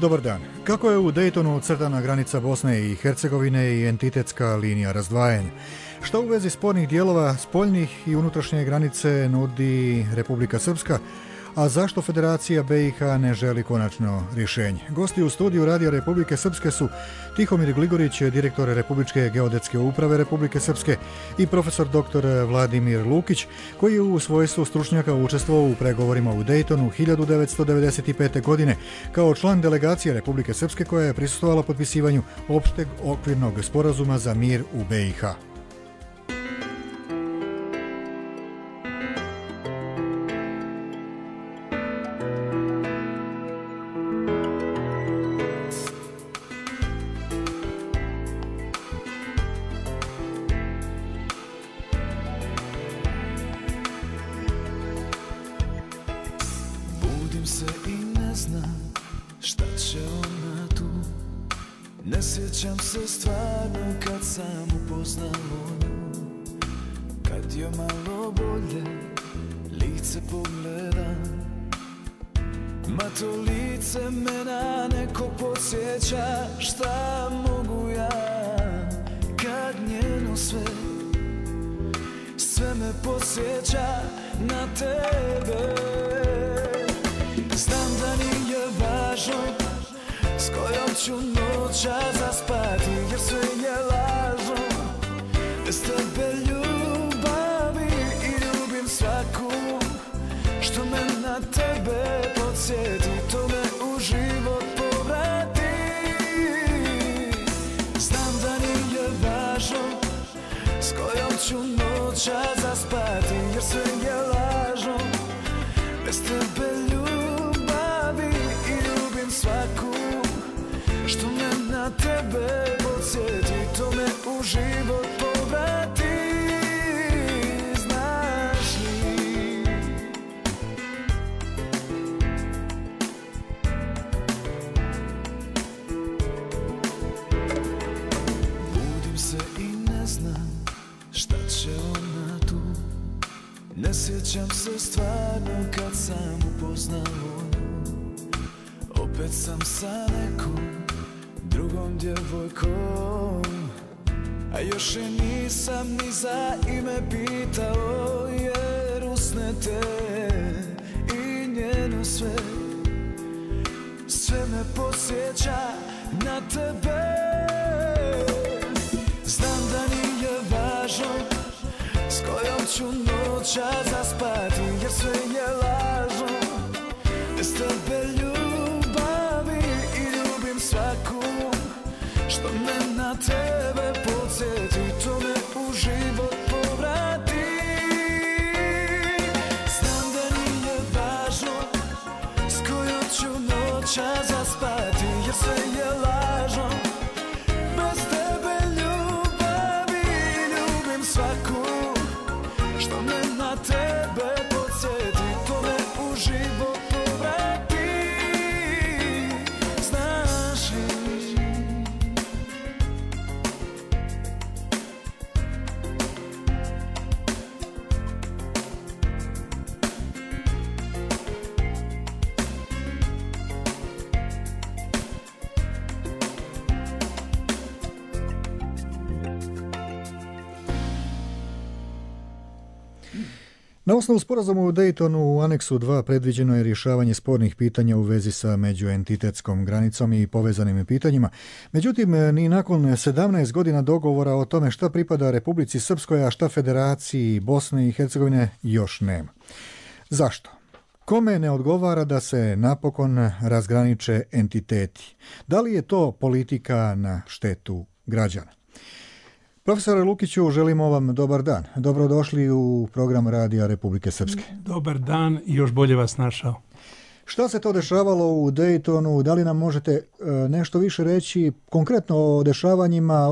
Dobar dan. Kako je u Daytonu crtana granica Bosne i Hercegovine i entitetska linija razdvajanja? Što u vezi spornih dijelova spoljnih i unutrašnje granice nudi Republika Srpska, a zašto Federacija BiH ne želi konačno rješenje? Gosti u studiju Radija Republike Srpske su Tihomir Gligorić, direktor Republičke geodetske uprave Republike Srpske, i profesor dr. Vladimir Lukić, koji je u svojstvu stručnjaka učestvovao u pregovorima u Daytonu 1995. godine kao član delegacije Republike Srpske koja je prisustvovala potpisivanju opšteg okvirnog sporazuma za mir u BiH. Ne sjećam se stvarno kad sam upoznao nju, kad joj malo bolje lice pogledam. Ma to lice me na neko podsjeća, šta mogu ja kad njeno sve me podsjeća na tebe. Znam da nije važno s kojom ću noća zaspati, jer sve je lažno. Bez tebe ljubavi i ljubim svaku što me na tebe podsjeti, to me u život povrati. Znam da nije važno s kojom ću noća zaspati, jer sve je lažno. Bez tebe ljubavi i ljubim svaku što me na tebe podsjeti, to me u život povrati. Znaš li? Budim se i ne znam šta će ona tu. Ne sjećam se stvarno kad sam upoznao nju. Opet sam sa nekom drugom djevojkom, a još je nisam ni za ime pitao, jer usne te i njeno sve me podsjeća na tebe. Znam da nije važno s kojom ću noća zaspati, jer sve je lažno. Bez tebe ljubavi i ljubim svaku što me na tebe podsjeti, to me u život povrati. Znam da nije važno s kojom ću noća zaspati, jer sve je lažno. Bez tebe ljubavi i ljubim svaku što me na tebe podsjeti, to me u život povrati. Znaš li? Na osnovu sporazuma u Daytonu u aneksu 2 predviđeno je rješavanje spornih pitanja u vezi sa međuentitetskom granicom i povezanim pitanjima. Međutim, ni nakon 17 godina dogovora o tome šta pripada Republici Srpskoj, a šta Federaciji Bosne i Hercegovine još nema. Zašto? Kome ne odgovara da se napokon razgraniče entiteti? Da li je to politika na štetu građana? Profesore Lukiću, želimo vam dobar dan. Dobrodošli u program Radija Republike Srpske. Dobar dan i još bolje vas našao. Šta se to dešavalo u Daytonu? Da li nam možete nešto više reći konkretno o dešavanjima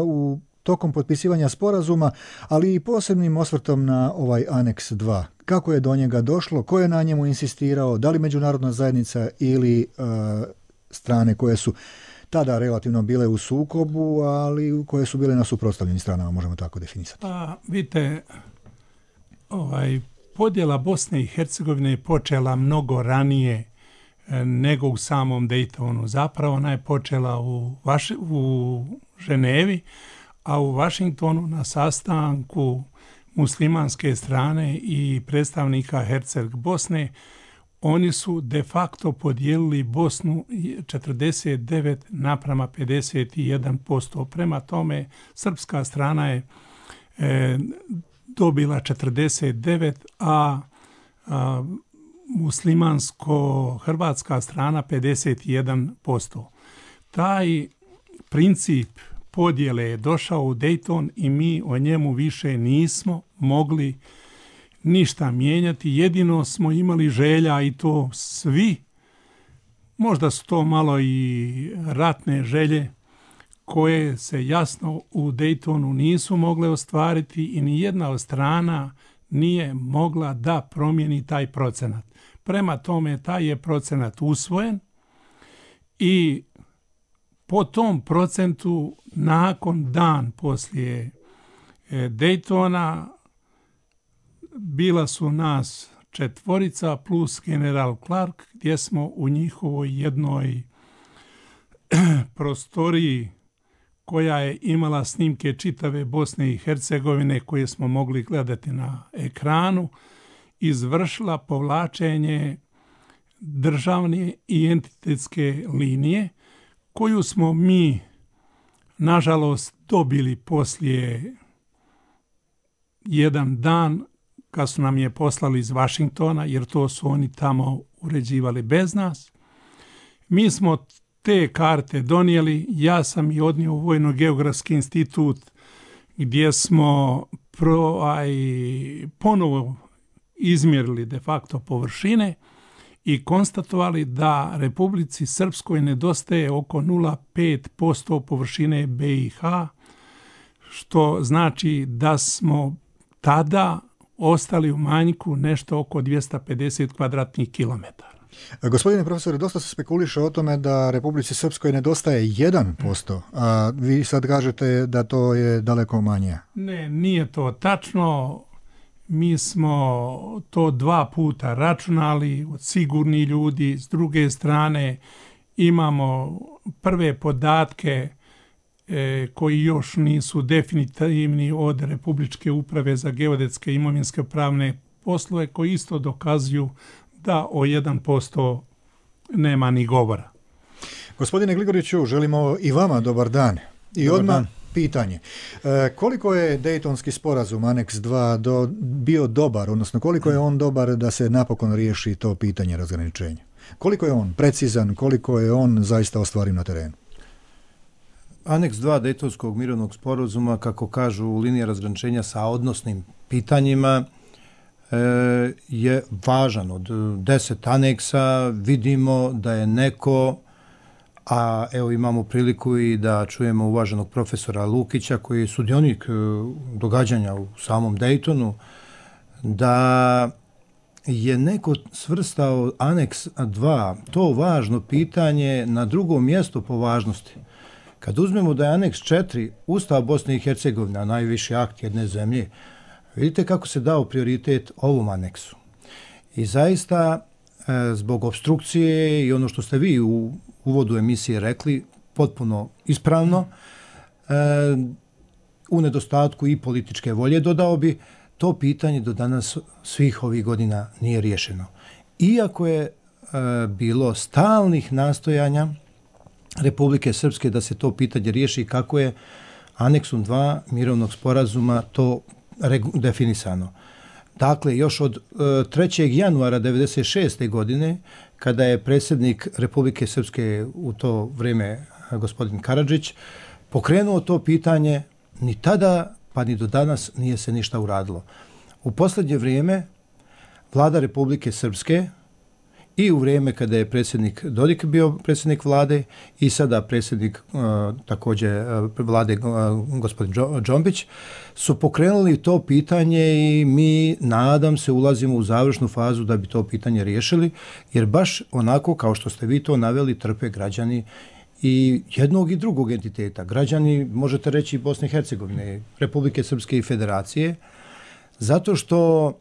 tokom potpisivanja sporazuma, ali i posebnim osvrtom na ovaj aneks 2? Kako je do njega došlo? Ko je na njemu insistirao? Da li međunarodna zajednica ili strane koje su tada relativno bile u sukobu, ali koje su bile na suprotstavljenim stranama, možemo tako definisati? Vidite, podjela Bosne i Hercegovine je počela mnogo ranije nego u samom Daytonu. Zapravo ona je počela u Ženevi, a u Washingtonu na sastanku muslimanske strane i predstavnika Herceg Bosne oni su de facto podijelili Bosnu 49:51%. Prema tome, srpska strana je dobila 49%, a muslimansko-hrvatska strana 51%. Taj princip podjele je došao u Dayton i mi o njemu više nismo mogli ništa mijenjati. Jedino smo imali želja, i to svi, možda su to malo i ratne želje, koje se jasno u Daytonu nisu mogle ostvariti i ni jedna od strana nije mogla da promijeni taj procenat. Prema tome, taj je procenat usvojen i po tom procentu nakon dan poslije Daytona bila su nas 4 plus general Clark, gdje smo u njihovoj jednoj prostoriji koja je imala snimke čitave Bosne i Hercegovine koje smo mogli gledati na ekranu, izvršila povlačenje državne i entitetske linije koju smo mi, nažalost, dobili poslije jedan dan kad su nam je poslali iz Washingtona, jer to su oni tamo uređivali bez nas. Mi smo te karte donijeli, ja sam i odnio u Vojno-geografski institut gdje smo ponovo izmjerili de facto površine i konstatovali da Republici Srpskoj nedostaje oko 0,5% površine BiH, što znači da smo tada ostali u manjku nešto oko 250 kvadratnih kilometara. Gospodine profesore, dosta se spekuliše o tome da Republici Srpskoj nedostaje 1%, a vi sad kažete da to je daleko manje. Ne, nije to tačno. Mi smo to 2 puta računali od sigurnih ljudi. S druge strane imamo prve podatke koji još nisu definitivni od Republičke uprave za geodetske i imovinske pravne poslove, koji isto dokazuju da o 1% nema ni govora. Gospodine Gligoriću, želimo i vama dobar dan. I dobar odmah dan. Pitanje. Koliko je Dejtonski sporazum Aneks 2 bio dobar, odnosno koliko je on dobar da se napokon riješi to pitanje razgraničenja? Koliko je on precizan, koliko je on zaista ostvariv na terenu? Aneks 2 Dejtonskog mirovnog sporazuma, kako kažu, linija razgraničenja sa odnosnim pitanjima, je važan. Od 10 aneksa vidimo da je neko, a evo imamo priliku i da čujemo uvaženog profesora Lukića koji je sudionik događanja u samom Dejtonu, da je neko svrstao Aneks 2, to važno pitanje, na drugo mjesto po važnosti. Kad uzmemo da je Aneks 4 Ustav Bosne i Hercegovine, najviši akt jedne zemlje, vidite kako se dao prioritet ovom aneksu. I zaista, zbog obstrukcije i ono što ste vi u uvodu emisije rekli, potpuno ispravno, u nedostatku i političke volje, dodao bi, to pitanje do danas svih ovih godina nije riješeno. Iako je bilo stalnih nastojanja Republike Srpske da se to pitanje riješi, kako je Aneksom 2 mirovnog sporazuma to definisano. Dakle, još od 3. januara 1996. godine, kada je predsjednik Republike Srpske u to vrijeme, gospodin Karadžić, pokrenuo to pitanje, ni tada pa ni do danas nije se ništa uradilo. U posljednje vrijeme vlada Republike Srpske i u vrijeme kada je predsjednik Dodik bio predsjednik vlade i sada predsjednik također vlade gospodin Džombić su pokrenuli to pitanje i mi, nadam se, ulazimo u završnu fazu da bi to pitanje riješili, jer baš onako kao što ste vi to naveli trpe građani i jednog i drugog entiteta. Građani, možete reći, Bosne i Hercegovine, Republike Srpske i Federacije, zato što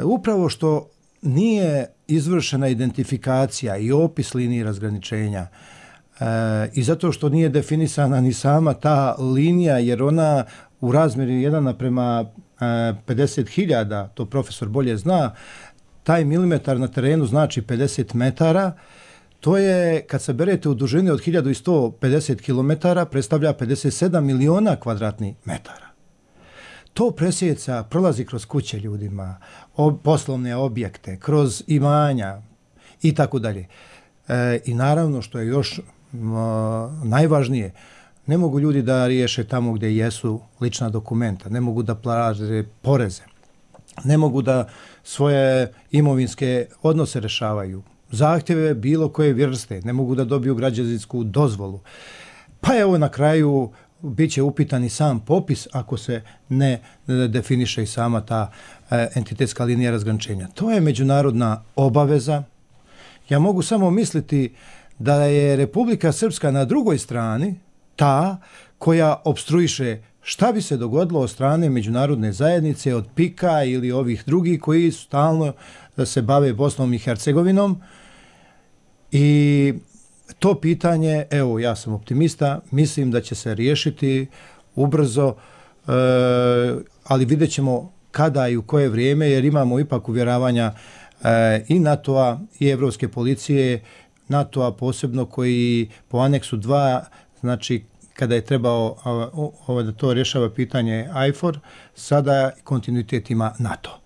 upravo što nije izvršena identifikacija i opis linije razgraničenja i zato što nije definisana ni sama ta linija, jer ona u razmjeri 1:50.000, to profesor bolje zna, taj milimetar na terenu znači 50 metara, to je, kad se berete u dužini od 1150 km, predstavlja 57 miliona kvadratnih metara. To presjeca, prolazi kroz kuće ljudima, poslovne objekte, kroz imanja i tako dalje. I naravno, što je još najvažnije, ne mogu ljudi da riješe tamo gdje jesu lična dokumenta, ne mogu da plaće poreze, ne mogu da svoje imovinske odnose rešavaju, zahtjeve bilo koje vrste, ne mogu da dobiju građevinsku dozvolu. Pa evo na kraju bit će upitan i sam popis ako se ne definiše i sama ta entitetska linija razgraničenja. To je međunarodna obaveza. Ja mogu samo misliti da je Republika Srpska na drugoj strani ta koja opstruiše šta bi se dogodilo od strane međunarodne zajednice, od PIK-a ili ovih drugih koji stalno se bave Bosnom i Hercegovinom. I to pitanje, evo, ja sam optimista, mislim da će se riješiti ubrzo, ali vidjet ćemo kada i u koje vrijeme, jer imamo ipak uvjeravanja i NATO-a i Evropske policije, NATO-a posebno koji po aneksu 2, znači kada je trebao da to rješava pitanje IFOR, sada kontinuitet ima NATO.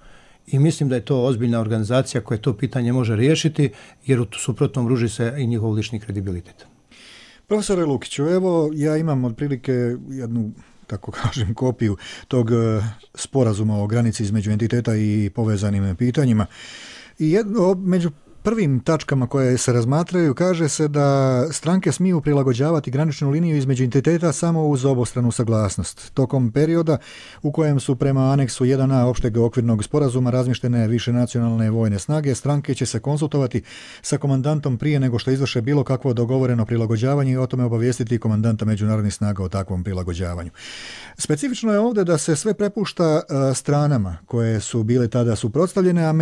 I mislim da je to ozbiljna organizacija koja to pitanje može riješiti, jer u suprotnom ruži se i njihov lični kredibilitet. Profesore Lukiću, evo ja imam otprilike jednu, tako kažem, kopiju tog sporazuma o granici između entiteta i povezanim pitanjima. I među prvim tačkama koje se razmatraju kaže se da stranke smiju prilagođavati graničnu liniju između entiteta samo uz obostranu saglasnost. Tokom perioda u kojem su prema aneksu 1a opšteg okvirnog sporazuma razmještene više nacionalne vojne snage, stranke će se konsultovati sa komandantom prije nego što izvrše bilo kakvo dogovoreno prilagođavanje i o tome obavijestiti komandanta međunarodnih snaga o takvom prilagođavanju. Specifično je ovdje da se sve prepušta stranama koje su bile tada suprotstavljene, a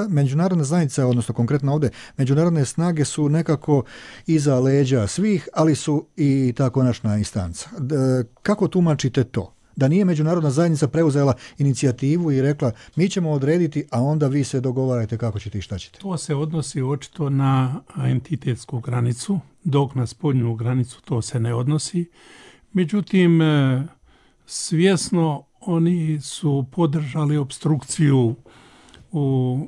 međunarodne zajednice, odnosno konkretno ovdje međunarodne snage su nekako iza leđa svih, ali su i ta konačna instanca. Kako tumačite to? Da nije međunarodna zajednica preuzela inicijativu i rekla mi ćemo odrediti, a onda vi se dogovarajte kako ćete i šta ćete? To se odnosi očito na entitetsku granicu, dok na spoljnu granicu to se ne odnosi. Međutim, svjesno oni su podržali opstrukciju u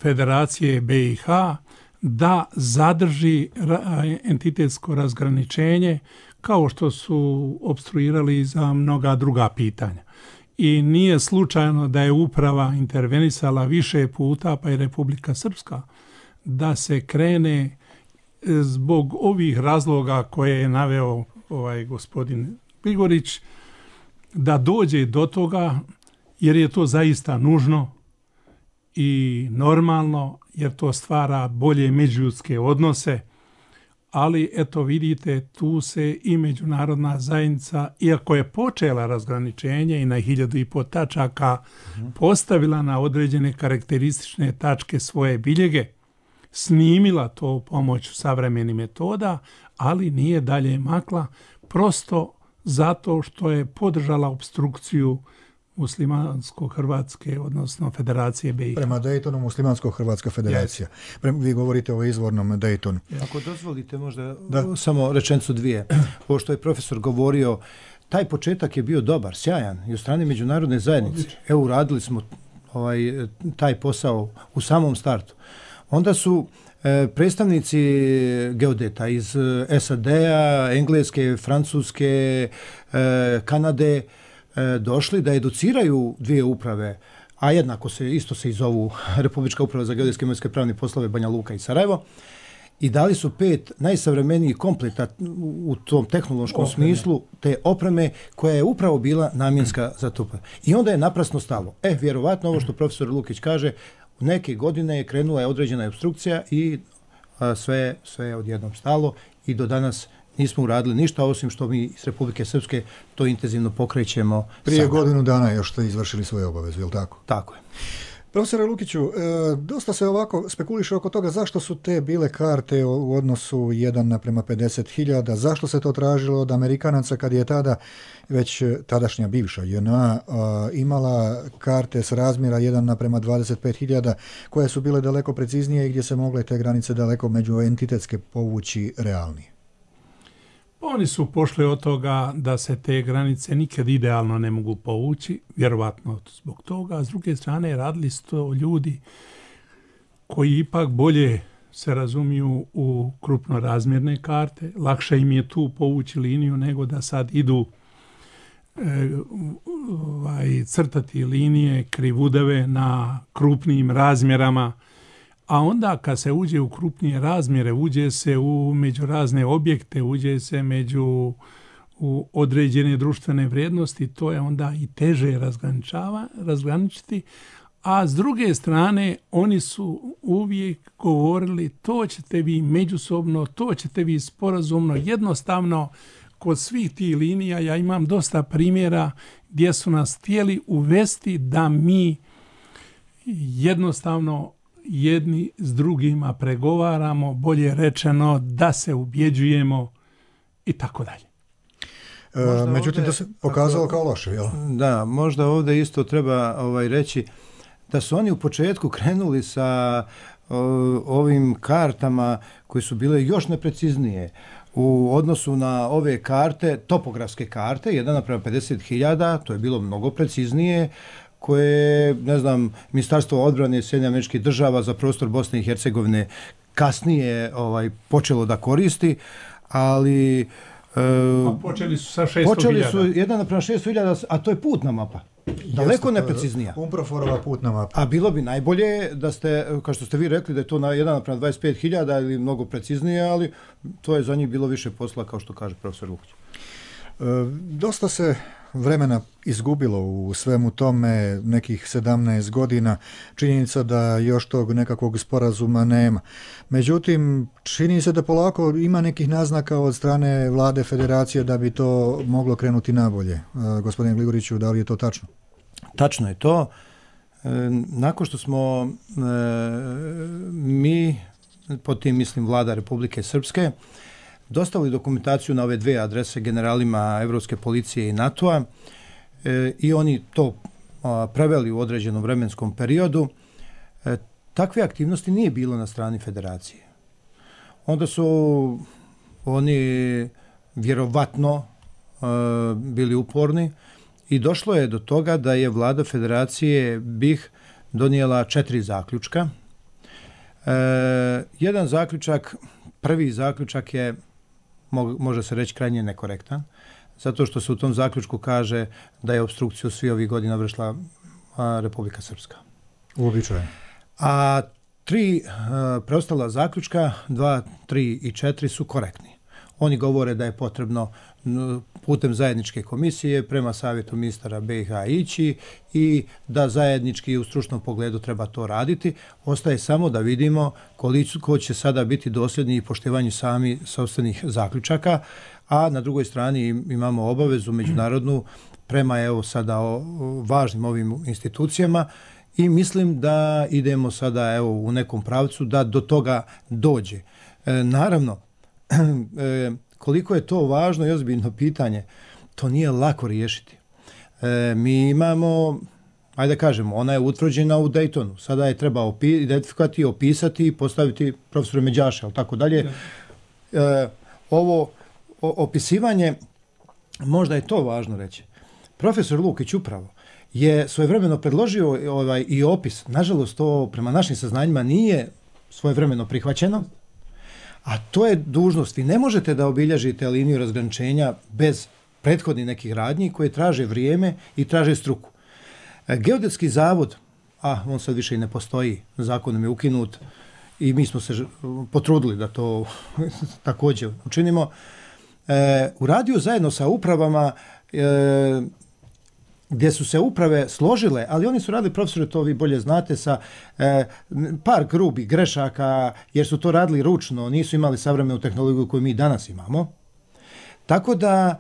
Federacije BiH da zadrži entitetsko razgraničenje kao što su opstruirali za mnoga druga pitanja. I nije slučajno da je uprava intervenisala više puta, pa i Republika Srpska, da se krene zbog ovih razloga koje je naveo gospodin Grigorić, da dođe do toga, jer je to zaista nužno i normalno, jer to stvara bolje međuljudske odnose, ali eto vidite, tu se i međunarodna zajednica, iako je počela razgraničenje i na 1500 tačaka postavila na određene karakteristične tačke svoje biljege, snimila to pomoću savremenih metoda, ali nije dalje makla, prosto zato što je podržala opstrukciju Muslimansko-Hrvatske, odnosno Federacije BiH. Prema Daytonu Muslimansko-Hrvatska federacija. Vi govorite o izvornom Daytonu. Ako dozvolite možda samo rečenicu dvije. Ovo što je profesor govorio, taj početak je bio dobar, sjajan i od strane međunarodne zajednice. Evo, uradili smo taj posao u samom startu. Onda su predstavnici geodeta iz SAD-a, Engleske, Francuske, Kanade došli da educiraju dvije uprave, a jednako isto se i zovu Republička uprava za geodetske i imovinske pravne poslove Banja Luka i Sarajevo, i dali su 5 najsavremenijih kompleta u tom tehnološkom smislu te opreme koja je upravo bila namjenska za to. I onda je naprasno stalo. Vjerovatno ovo što profesor Lukić kaže, u neke godine je krenula određena opstrukcija i sve je odjednom stalo i do danas nismo uradili ništa, osim što mi iz Republike Srpske to intenzivno pokrećemo. Prije godinu dana još ste izvršili svoje obaveze, je li tako? Tako je. Profesore Lukiću, dosta se ovako spekuliše oko toga zašto su te bile karte u odnosu 1:50.000, zašto se to tražilo od Amerikanaca kad je tada već tadašnja bivša JNA imala karte s razmjera 1:25.000 koje su bile daleko preciznije i gdje se mogle te granice daleko međuentitetske povući realnije. Oni su pošli od toga da se te granice nikad idealno ne mogu povući, vjerovatno zbog toga, a s druge strane radili su to ljudi koji ipak bolje se razumiju u krupno razmjerne karte, lakše im je tu povući liniju nego da sad idu crtati linije krivudave na krupnim razmjerama, a onda kad se uđe u krupnije razmjere, uđe se među razne objekte, uđe se u određene društvene vrijednosti, to je onda i teže razgraničiti, a s druge strane oni su uvijek govorili to ćete vi međusobno, to ćete vi sporazumno, jednostavno kod svih tih linija. Ja imam dosta primjera gdje su nas htjeli uvesti da mi jednostavno jedni s drugima pregovaramo, bolje rečeno da se ubjeđujemo i tako dalje. Međutim, to se pokazalo kao loše, jel? Da, možda ovdje isto treba reći da su oni u početku krenuli sa ovim kartama koje su bile još nepreciznije u odnosu na ove karte, topografske karte, 1:50.000, to je bilo mnogo preciznije, koje, ne znam, Ministarstvo odbrane Sjedinjenih Američkih Država za prostor Bosne i Hercegovine kasnije počelo da koristi, ali počeli su sa 600.000. Počeli su 1:600.000, a to je putna mapa. Daleko nepreciznija. Umproforova putna mapa. A bilo bi najbolje da ste, kao što ste vi rekli, da je to na 1:25.000 ili mnogo preciznije, ali to je za njih bilo više posla, kao što kaže profesor Lukić. Dosta se vremena izgubilo u svemu tome, nekih 17 godina. Činjenica da još tog nekakvog sporazuma nema. Međutim, čini se da polako ima nekih naznaka od strane vlade federacije da bi to moglo krenuti nabolje. Gospodine Gligoriću, da li je to tačno? Tačno je to. Nakon što smo mi, pod tim mislim vlada Republike Srpske, dostavili dokumentaciju na ove dve adrese generalima Evropske policije i NATO-a i oni to preveli u određenom vremenskom periodu. Takve aktivnosti nije bilo na strani federacije. Onda su oni vjerovatno bili uporni i došlo je do toga da je vlada federacije BiH donijela 4 zaključka. Jedan zaključak, prvi zaključak je, može se reći, krajnje nekorektan, zato što se u tom zaključku kaže da je opstrukciju svi ovih godina vršila Republika Srpska. Uobičajeno. A 3 preostala zaključka, 2, 3 i 4 su korektni. Oni govore da je potrebno putem zajedničke komisije prema savjetu ministara BiH ići i da zajednički u stručnom pogledu treba to raditi. Ostaje samo da vidimo koliko će sada biti dosljedni i poštivanju sami sopstvenih zaključaka, a na drugoj strani imamo obavezu međunarodnu prema evo sada važnim ovim institucijama i mislim da idemo sada evo u nekom pravcu da do toga dođe. Naravno, koliko je to važno i ozbiljno pitanje, to nije lako riješiti. Mi imamo, ajde da kažemo, ona je utvrđena u Daytonu. Sada je treba identifikovati, opisati i postaviti profesora Međaša, ali tako dalje. Ovo opisivanje, možda je to važno reći. Profesor Lukić upravo je svojevremeno predložio i opis. Nažalost, to prema našim saznanjima nije svojevremeno prihvaćeno. A to je dužnost. Vi ne možete da obilježite liniju razgraničenja bez prethodnih nekih radnji koje traže vrijeme i traže struku. Geodetski zavod, on sad više i ne postoji, zakonom je ukinut i mi smo se potrudili da to također učinimo, uradio zajedno sa upravama gdje su se uprave složile, ali oni su radili, profesore, to vi bolje znate, sa par grubih grešaka, jer su to radili ručno, nisu imali savremenu tehnologiju koju mi danas imamo. Tako da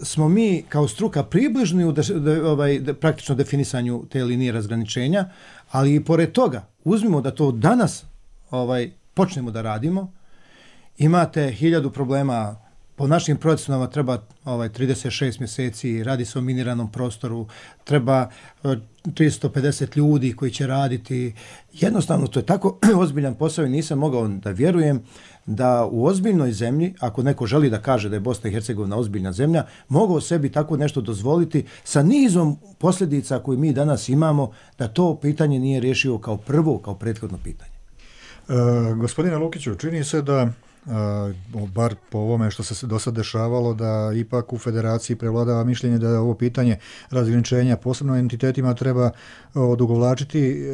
smo mi kao struka približni u praktično definisanju te linije razgraničenja, Ali i pored toga, uzmimo da to danas počnemo da radimo, imate 1000 problema. Po našim procjenama treba 36 mjeseci, radi se o miniranom prostoru, treba 350 ljudi koji će raditi. Jednostavno, to je tako ozbiljan posao i nisam mogao da vjerujem da u ozbiljnoj zemlji, ako neko želi da kaže da je Bosna i Hercegovina ozbiljna zemlja, mogao sebi tako nešto dozvoliti sa nizom posljedica koje mi danas imamo, da to pitanje nije riješio kao prvo, kao prethodno pitanje. Gospodine Lukiću, čini se da bar po ovome što se do sad dešavalo, da ipak u federaciji prevladava mišljenje da ovo pitanje razgraničenja posebno entitetima treba odugovlačiti,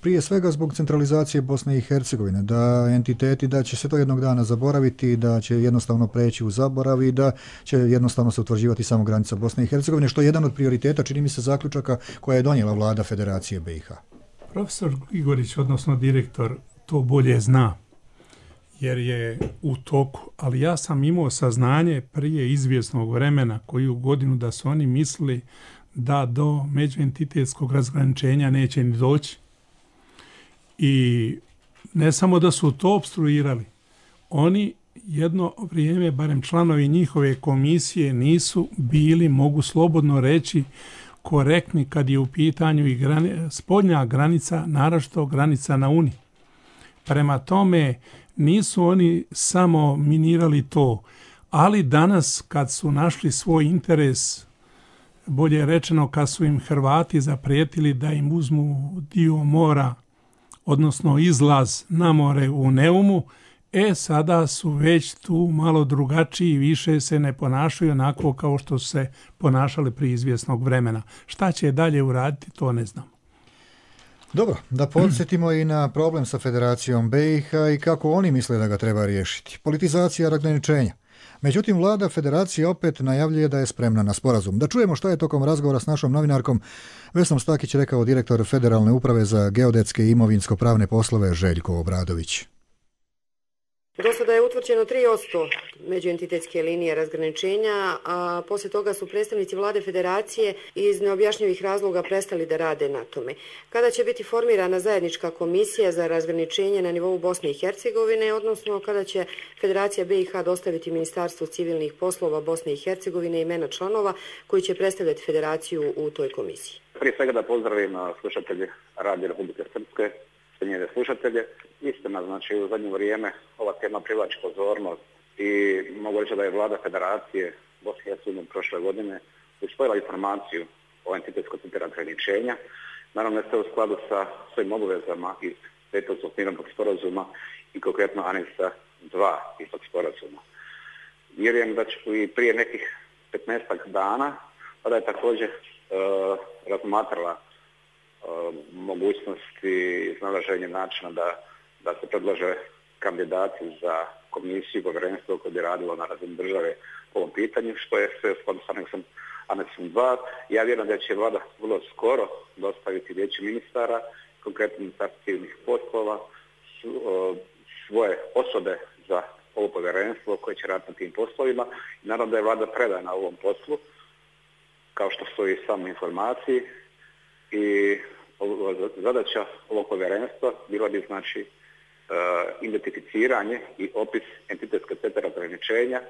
prije svega zbog centralizacije Bosne i Hercegovine, da entiteti, da će se to jednog dana zaboraviti, da će jednostavno preći u zaborav i da će jednostavno se utvrđivati samo granica Bosne i Hercegovine, što je jedan od prioriteta, čini mi se, zaključaka koja je donijela vlada Federacije BiH. Profesor Igorić, odnosno direktor, to bolje zna, jer je u toku, ali ja sam imao saznanje prije izvjesnog vremena, koju godinu, da su oni mislili da do međuentitetskog razgraničenja neće ni doći. I ne samo da su to opstruirali, oni jedno vrijeme, barem članovi njihove komisije, nisu bili, mogu slobodno reći, korektni kad je u pitanju i spoljna granica, naročito granica na Uni. Prema tome, nisu oni samo minirali to, ali danas kad su našli svoj interes, bolje rečeno kad su im Hrvati zaprijetili da im uzmu dio mora, odnosno izlaz na more u Neumu, sada su već tu malo drugačiji, više se ne ponašaju onako kao što su se ponašali prije izvjesnog vremena. Šta će dalje uraditi, to ne znam. Dobro, da podsjetimo i na problem sa Federacijom BiH i kako oni misle da ga treba riješiti. Politizacija razgraničenja. Međutim, vlada Federacije opet najavljuje da je spremna na sporazum. Da čujemo šta je tokom razgovora s našom novinarkom Vesnom Stakić rekao direktor Federalne uprave za geodetske i imovinsko-pravne poslove Željko Obradović. Do sada je utvrđeno 3% međuentitetske linije razgraničenja, a poslije toga su predstavnici vlade Federacije iz neobjašnjivih razloga prestali da rade na tome. Kada će biti formirana zajednička komisija za razgraničenje na nivou Bosne i Hercegovine, odnosno kada će Federacija BiH dostaviti Ministarstvu civilnih poslova Bosne i Hercegovine imena članova koji će predstavljati Federaciju u toj komisiji? Prije svega da pozdravim slušatelje Radio Republike Srpske, njene slušatelje. Istina, znači u zadnje vrijeme ova tema privlači pozornost i mogu reći da je vlada Federacije Bosne i Hercegovine prošle godine usvojila informaciju o entitetskom centru razgraničenja. Naravno, ste u skladu sa svojim obavezama iz Dejtonskog mirovnog sporazuma i konkretno aneksa 2 istog sporazuma. Vjerujem da će i prije nekih 15 dana tada je također razmatrala mogućnosti iznalaženja načina da se predlaže kandidati za komisiju, povjerenstvo koje bi radilo na razini države po ovom pitanju, što je sve u skladu s aneksom 2. Ja vjerujem da će vlada vrlo skoro dostaviti vijeću ministara, konkretno Ministarstvo civilnih poslova, svoje osobe za ovo povjerenstvo koje će raditi na tim poslovima. I naravno da je vlada predana ovom poslu, kao što stoji u samoj informaciji. I zadaća ovog povjerenstva bila bi znači identificiranje i opis entitetskog centra razgraničenja,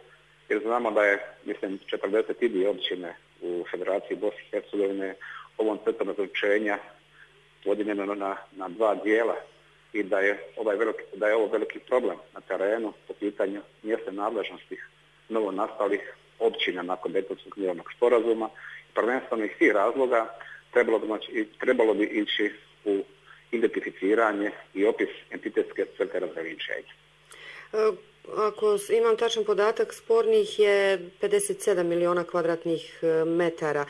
jer znamo da je, mislim, 42 općine u Federaciji Bosne i Hercegovine ovom centrom razgraničenja podijeljeno na dva dijela i da je ovo veliki problem na terenu po pitanju mjesne nadležnosti novo nastalih općina nakon Dejtonskog mirovnog sporazuma. Prvenstveno iz tih razloga trebalo bi ići u identificiranje i opis entitetske crte razgraničenja. Ako imam tačan podatak, spornih je 57 miliona kvadratnih metara.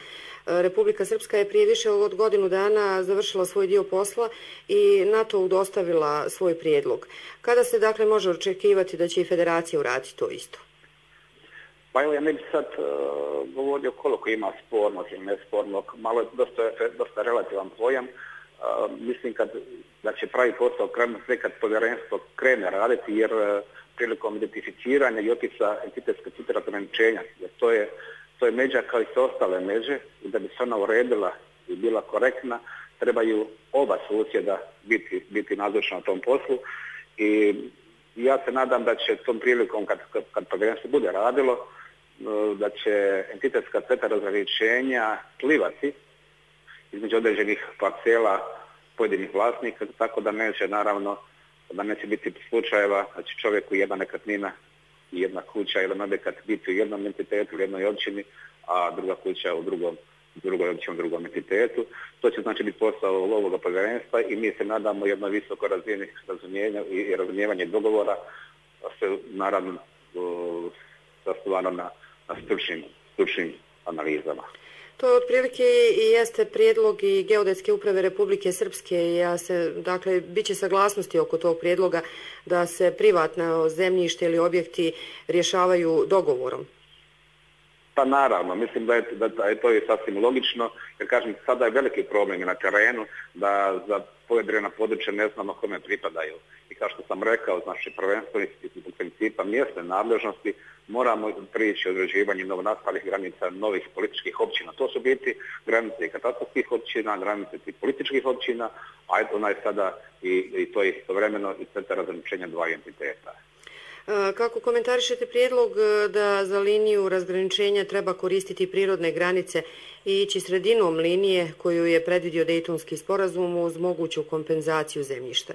Republika Srpska je prije više od godinu dana završila svoj dio posla i NATO dostavila svoj prijedlog. Kada se dakle može očekivati da će i Federacija uraditi to isto? Pa evo, ja ne bih sad govorio koliko ima spornog ili nespornog, malo je dosta relativan pojam. Mislim da će pravi posao krenuti sve kad povjerenstvo krene raditi, jer prilikom identificiranja i opisa entitetskog centra razgraničenja, jer to je međa kao i sve ostale međe, i da bi se ona uredila i bila korektna, trebaju oba susjeda biti nazočna na tom poslu i ja se nadam da će tom prilikom kad povjerenstvo bude radilo, da će entitetska crta razgraničenja plivati između određenih parcela pojedinih vlasnika, tako da neće naravno, da neće biti slučajeva da će čovjeku jedna nekretnina i jedna kuća, jedan objekat biti u jednom entitetu, u jednoj općini, a druga kuća u drugoj općini, u drugom entitetu. To će znači biti posao ovoga povjerenstva i mi se nadamo jednoj visokoj razini razumijenja i razumijevanja dogovora, se naravno zasnovano na stručnim analizama. To otprilike i jeste prijedlog i Geodetske uprave Republike Srpske. Dakle, bit će saglasnosti oko tog prijedloga da se privatno zemljište ili objekti rješavaju dogovorom. Pa naravno, mislim da je to i sasvim logično, jer kažem, sada je veliki problem na terenu da za pojedina područja ne znamo kome pripadaju. I kao što sam rekao, znači prvenstveno iz principa mjesne nadležnosti moramo prići određivanju novonastalih granica novih političkih općina. To su biti granice i katastarskih općina, granice i političkih općina, a eto ona je sada i to je istovremeno i crta razgraničenja dva entiteta. Kako komentarišete prijedlog da za liniju razgraničenja treba koristiti prirodne granice i ići sredinom linije koju je predvidio Dejtonski sporazum uz moguću kompenzaciju zemljišta?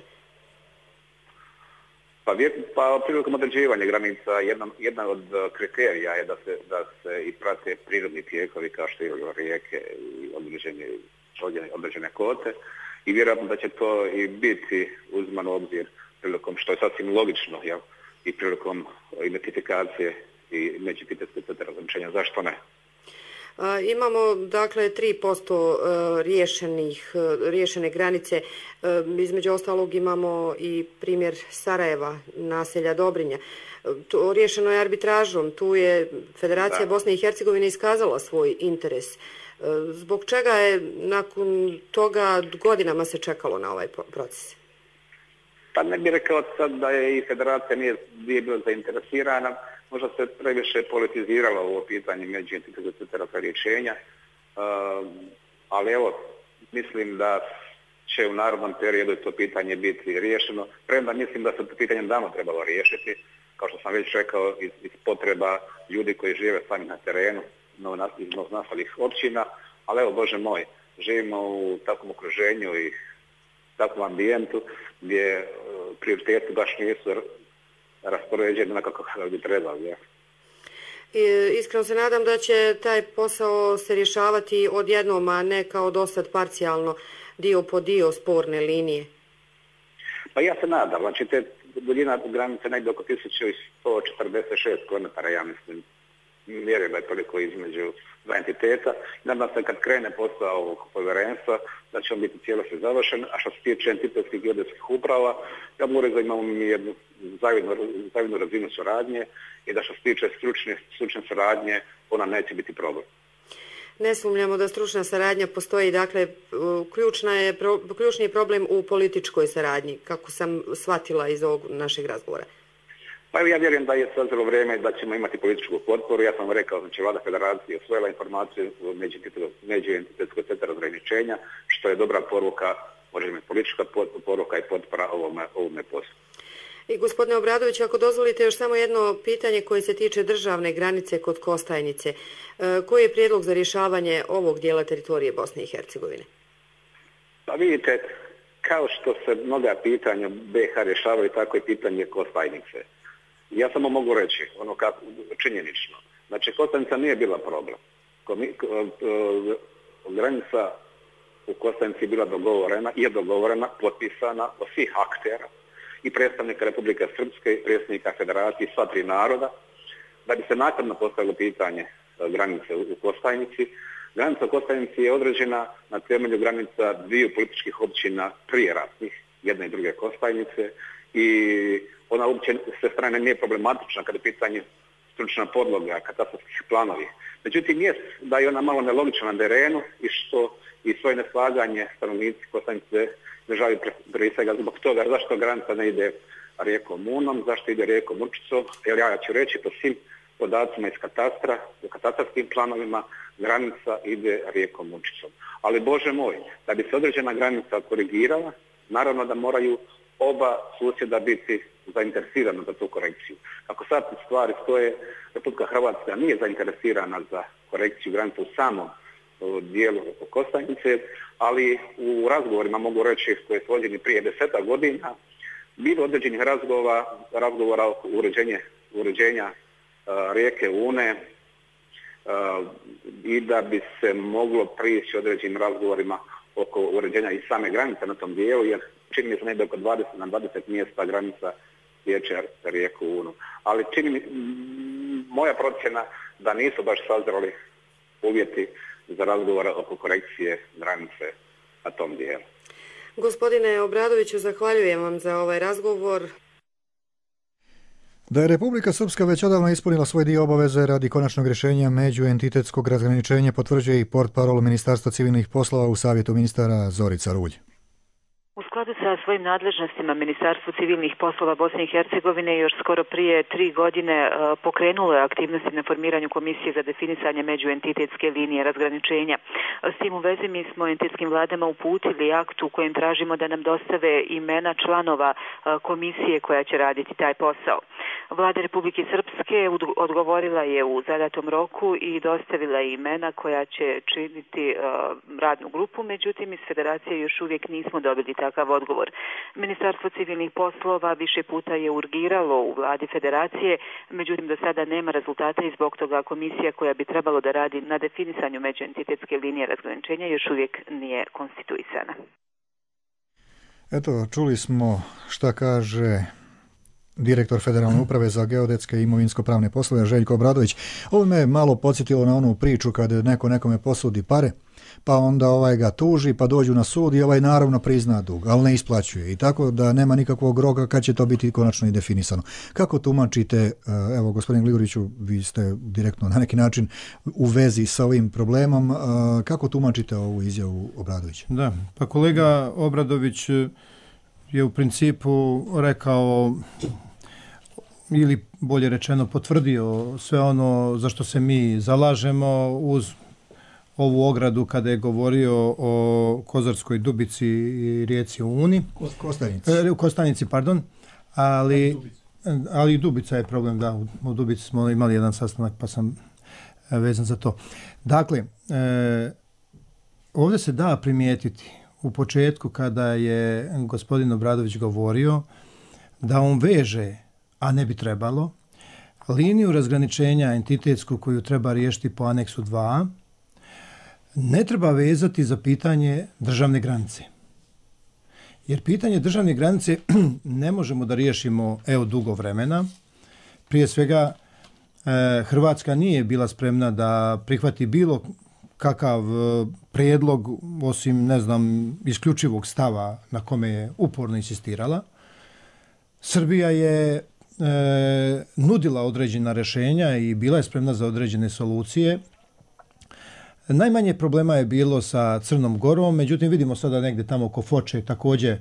Pa prilikom određivanja granica jedna od kriterija je da se i prate prirodni tijekovi kao što je rijeke i određene kote i vjerojatno da će to i biti uzmano u obzir prilikom, što je sasvim logično, jel? I prilikom identifikacije i međuentitetske crte razgraničenja. Zašto ne? Imamo dakle 3% riješene granice. Između ostalog imamo i primjer Sarajeva, naselja Dobrinja. To riješeno je arbitražom. Tu je Federacija Bosne i Hercegovine iskazala svoj interes. Zbog čega je nakon toga godinama se čekalo na ovaj proces? Pa ne bih rekao sad da je i Federacija nije bila zainteresirana, možda se previše politiziralo ovo pitanje međuentitetske crte razgraničenja, ali evo, mislim da će u narednom periodu to pitanje biti riješeno, premda mislim da se to pitanje davno trebalo riješiti, kao što sam već rekao, iz potreba ljudi koji žive sami na terenu, iz novonastalih općina, ali evo, Bože moj, živimo u takvom okruženju i takvom ambijentu gdje prioriteti baš nisu raspoređeni onako kako bi trebali. Ja. Iskreno se nadam da će taj posao se rješavati odjednom, a ne kao dosad parcijalno, dio po dio sporne linije. Pa ja se nadam, znači te duljina granice negdje oko 1146 km, ja mislim, vjerujem da je toliko između dva entiteta. Nadam se kad krene posao ovog povjerenstva da će on biti cijelosti završen, a što se tiče entitetskih geodetskih uprava, ja moram da imamo mi jednu zavidnu razinu suradnje i da što se tiče stručne suradnje, ona neće biti problem. Ne sumnjamo da stručna saradnja postoji, dakle, ključni je problem u političkoj saradnji, kako sam shvatila iz ovog našeg razgovora. Pa ja vjerujem da je sazrelo vrijeme da ćemo imati političku potporu. Ja sam rekao, znači Vlada Federacije osvojila informaciju o međuentitetskoj crti razgraničenja, što je dobra poruka, može biti politička poruka i potpora ovome poslu. I gospodine Obradović, ako dozvolite još samo jedno pitanje koje se tiče državne granice kod Kostajnice. Koji je prijedlog za rješavanje ovog dijela teritorije Bosne i Hercegovine? Pa vidite, kao što se mnoga pitanja BiH rješavaju, tako i pitanje Kostajnice. Ja samo mogu reći, ono kako, činjenično. Znači, Kostajnica nije bila problem. Granica u Kostajnici je bila dogovorena, potpisana od svih aktera i predstavnika Republike Srpske i predstavnika Federacije, sva tri naroda, da bi se naknadno postavilo pitanje granice u Kostajnici. Granica u Kostajnici je određena na temelju granica dviju političkih općina prije ratnih, jedne i druge Kostajnice, i ona uopće sve strane nije problematična kada je pitanje stručna podloga, katastarskih planovi. Međutim, jest da je ona malo nelogična na terenu i što i svoje neslaganje stanovnici Kostajnice državaju prije svega zbog toga zašto granica ne ide rijekom Unom, zašto ide rijekom Určicom, jer ja ću reći po svim podacima iz katastra, u katastarskim planovima, granica ide rijekom Mučicom. Ali Bože moj, da bi se određena granica korigirala, naravno da moraju oba susjeda biti zainteresirana za tu korekciju. Kako sad stvari stoje, Republika Hrvatska nije zainteresirana za korekciju granice u samom dijelu Kostajnice, ali u razgovorima, mogu reći, koji su vođeni prije 10 godina, bilo određenih razgovora oko uređenja rijeke Une i da bi se moglo prići određenim razgovorima oko uređenja i same granice na tom dijelu, jer čini mi se negdje oko 20 mjesta granica sječe rijeku Unu. Ali moja procjena da nisu baš sazreli uvjeti za razgovor oko korekcije granice na tom dijelu. Gospodine Obradoviću, zahvaljujem vam za ovaj razgovor. Da je Republika Srpska već odavno ispunila svoj dio obaveze radi konačnog rješenja međuentitetskog razgraničenja, potvrđuje i portparol Ministarstva civilnih poslova u Savjetu ministara Zorica Rulj. U skladu sa svojim nadležnostima Ministarstvo civilnih poslova Bosne i Hercegovine još skoro prije 3 godine pokrenulo je aktivnosti na formiranju komisije za definisanje međuentitetske linije razgraničenja. S tim u vezi mi smo entitetskim vladama uputili akt u kojem tražimo da nam dostave imena članova komisije koja će raditi taj posao. Vlada Republike Srpske odgovorila je u zadatom roku i dostavila imena koja će činiti radnu grupu, međutim iz Federacije još uvijek nismo dobili takav odgovor. Ministarstvo civilnih poslova više puta je urgiralo u vladi Federacije, međutim do sada nema rezultata i zbog toga komisija koja bi trebalo da radi na definisanju međuentitetske linije razgraničenja još uvijek nije konstituisana. Eto, čuli smo šta kaže direktor Federalne uprave za geodetske i imovinsko-pravne poslove Željko Obradović. Ovo me malo podsjetilo na onu priču kad neko nekome posudi pare, pa onda ovaj ga tuži, pa dođu na sud i ovaj naravno prizna dug, ali ne isplaćuje. I tako da nema nikakvog roka kad će to biti konačno i definisano. Kako tumačite, evo gospodin Gligoriću, vi ste direktno na neki način u vezi sa ovim problemom, kako tumačite ovu izjavu Obradovića? Da, pa kolega Obradović je u principu rekao ili bolje rečeno potvrdio sve ono za što se mi zalažemo uz ovu ogradu kada je govorio o Kozarskoj Dubici i rijeci Uni. Kostajnici, pardon. Ali Dubica je problem, da, u Dubici smo imali jedan sastanak pa sam vezan za to. Dakle, ovdje se da primijetiti u početku kada je gospodin Obradović govorio da on veže, a ne bi trebalo, liniju razgraničenja entitetsku koju treba riješiti po aneksu 2, ne treba vezati za pitanje državne granice. Jer pitanje državne granice ne možemo da riješimo dugo vremena. Prije svega, Hrvatska nije bila spremna da prihvati bilo kakav prijedlog, osim, isključivog stava na kome je uporno insistirala. Srbija je nudila određena rješenja i bila je spremna za određene solucije. Najmanje problema je bilo sa Crnom Gorom, međutim vidimo sada negdje tamo oko Foče također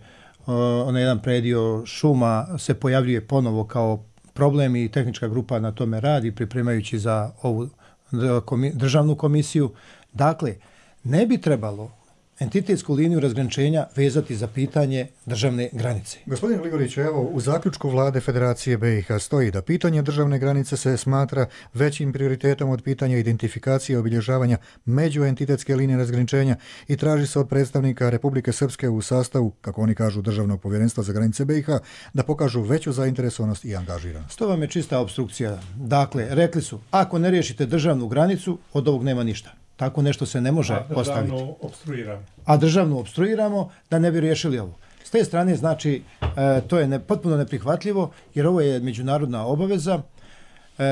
onaj jedan predio šuma se pojavljuje ponovo kao problem i tehnička grupa na tome radi pripremajući za ovu državnu komisiju. Dakle, ne bi trebalo entitetsku liniju razgraničenja vezati za pitanje državne granice. Gospodin Gligorić, evo u zaključku Vlade Federacije BiH stoji da pitanje državne granice se smatra većim prioritetom od pitanja identifikacije i obilježavanja međuentitetske linije razgraničenja i traži se od predstavnika Republike Srpske u sastavu, kako oni kažu, Državnog povjerenstva za granice BiH da pokažu veću zainteresovanost i angažiranost. To vam je čista opstrukcija. Dakle, rekli su, ako ne riješite državnu granicu, od ovog nema ništa. Tako nešto se ne može postaviti. A državnu opstruiramo da ne bi riješili ovo. S te strane, znači, to je potpuno neprihvatljivo, jer ovo je međunarodna obaveza.